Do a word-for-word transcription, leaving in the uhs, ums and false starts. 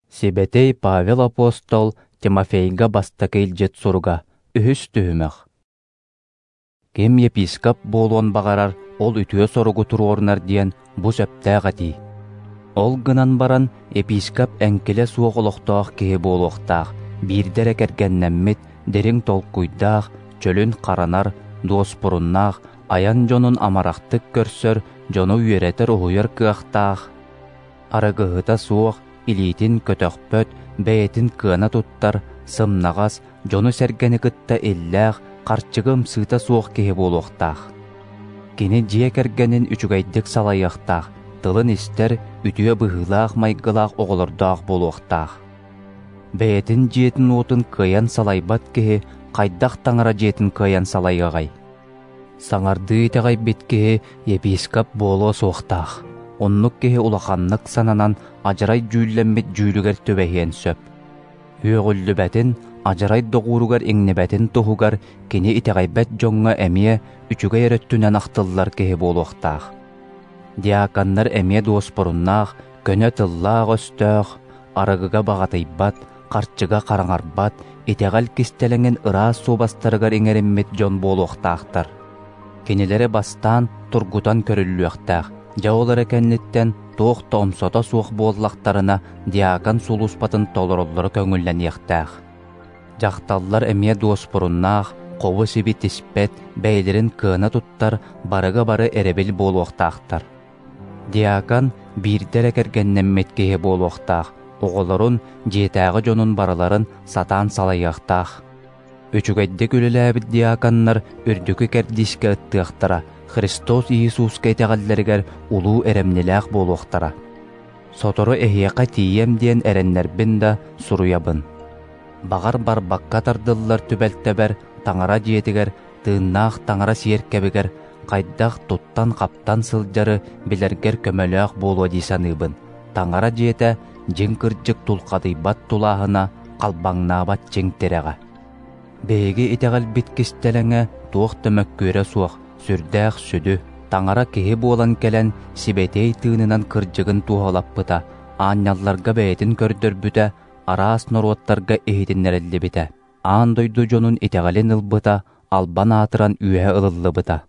Сибэтэй Павел апостол Тимофейга бастакы илдьит суруга, үһүс түһүмэх. Ким епископ буолуон баҕарар, ол үтүө соругу туруорунар диэн бу сөптөөх этии. Ол гынан баран епископ эҥкилэ суох олохтоох киһи буолуохтаах, биирдэ эрэ кэргэннэммит, дириҥ толкуйдаах, чөлүн харанар, дуоспуруннаах, айан дьонун амарахтык көрсөр, дьону үөрэтэр-уһуйар кыахтаах, арыгыһыта суох, илиитин көтөхпөт, бэйэтин кыана туттар, сымнаҕас, дьону-сэргэни кытта иллээх, харчыга ымсыыта суох киһи буолуохтаах. Кини дьиэ кэргэнин үчүгэйдик салайыахтаах, тылын истэр, үтүө быһыылаах майгылаах оҕолордоох буолуохтаах. Бэйэтин дьиэтин уотун кыайан салайбат киһи хайдах таҥара дьиэтин кыайан салайыаҕай? Саҥардыы итэҕэйбит киһи епископ буолуо суохтаах. Оннук киһи улаханнык сананан адьарай дьүүллэммит дьүүлүгэр түбэһиэн сөп. Үөҕүллүбэтин, адьарай доҕууругар иҥнибэтин туһугар кини итэҕэйбэт дьоҥҥо эмиэ үчүгэй эрэ өттүнэн ахтыллар киһи буолуохтаах. Диаконнар эмиэ дуоспуруннаах, көнө тыллаах-өстөөх, арыгыга баҕатыйбат, харчыга хараҥарбат, итэҕэл кистэлэҥин ыраас суобастарыгар иҥэриммит дьон буолуохтаахтар. Кинилэри бастаан тургутан көрүллүөхтээх, дьэ ол эрэ кэнниттэн туох да омсото суох буоллахтарына диакон сулууспатын толороллоро көҥүллэниэхтээх. Дьахталлар эмиэ дуоспуруннаах, хобу-сиби тиспэт, бэйэлэрин кыана туттар, барыга бары эрэбил буолуохтаахтар. Диакон биирдэ эрэ кэргэннэммит киһи буолуохтаах, оҕолорун, дьиэтээҕи дьонун барыларын сатаан салайыахтаах. Үчүгэйдик үлэлээбит диаконнар үрдүкү кэрдиискэ ыттыахтара, Христос Иисуска итэҕэллэригэр улуу эрэмнилээх буолуохтара. Сотору эһиэхэ тиийэм диэн эрэннэрбин да суруйабын. Баҕар барбакка тардыллар түбэлтэбэр таҥара дьиэтигэр, тыыннаах таҥара сиэркэбигэр хайдах туттан-хаптан сылдьары билэргэр көмөлөөх буолуо дии саныыбын. Таҥара дьиэтэ дьиҥ кырдьык тулхадыйбат тулааһына, халбаҥнаабат чиҥ тирэҕэ. Биһиги итэҕэлбит кистэлэҥэ туох да мөккүөрэ суох, сүрдээх сүдү, таҥара киһи буолан кэлэн сибэтиэй тыынынан кырдьыгын туоһулаппыта, аанньалларга бэйэтин көрдөрбүтэ, араас норуоттарга иһитиннэриллибитэ, аан дойду дьонун итэҕэлин ылбыта, албан аатыран үөһэ ылыллыбыта.